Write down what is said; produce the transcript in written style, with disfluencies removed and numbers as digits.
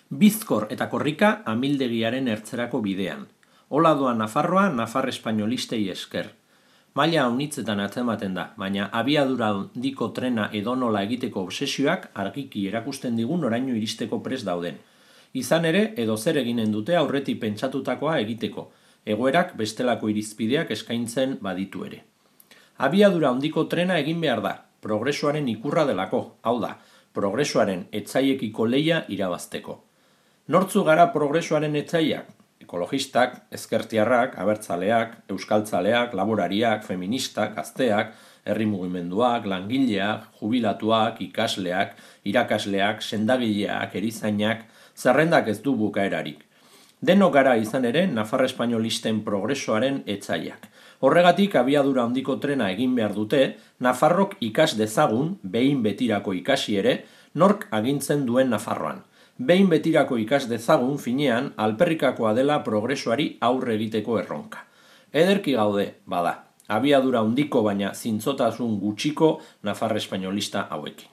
Bizkor eta korrika amildegiaren ertzerako bidean. Hola doa Nafarroa nafar espainolistei esker. Maila haunitzetan atzematen da, baina abiadura handiko trena edonola egiteko obsesioak argiki erakusten digun oraino iristeko prest dauden. Izan ere, edo zer eginen dute aurretik pentsatutakoa egiteko, egoerak bestelako irizpideak eskaintzen baditu ere. Abiadura handiko trena egin behar da, progresoaren ikurra delako, hau da, progresoaren etzaiekiko lehia irabazteko. Nortzu gara progresoaren etzaiak? Ekologistak, ezkertiarrak, abertzaleak, euskaltzaleak, laborariak, feministak, gazteak, herri mugimenduak, langileak, jubilatuak, ikasleak, irakasleak, sendagileak, erizainak, zerrendak ez du bukaerarik. Denok gara izan ere nafar espainolisten progresoaren etzaiak. Horregatik abiadura handiko trena egin behar dute, Nafarrok ikas dezagun, behin betirako ikasi ere, nork agintzen duen Nafarroan. Behin betirako ikas dezagun finean alperrikakoa dela progresoari aurre egiteko erronka. Ederki gaude, bada, abiadura handiko baina zintzotasun gutxiko nafar espainolista hauekin.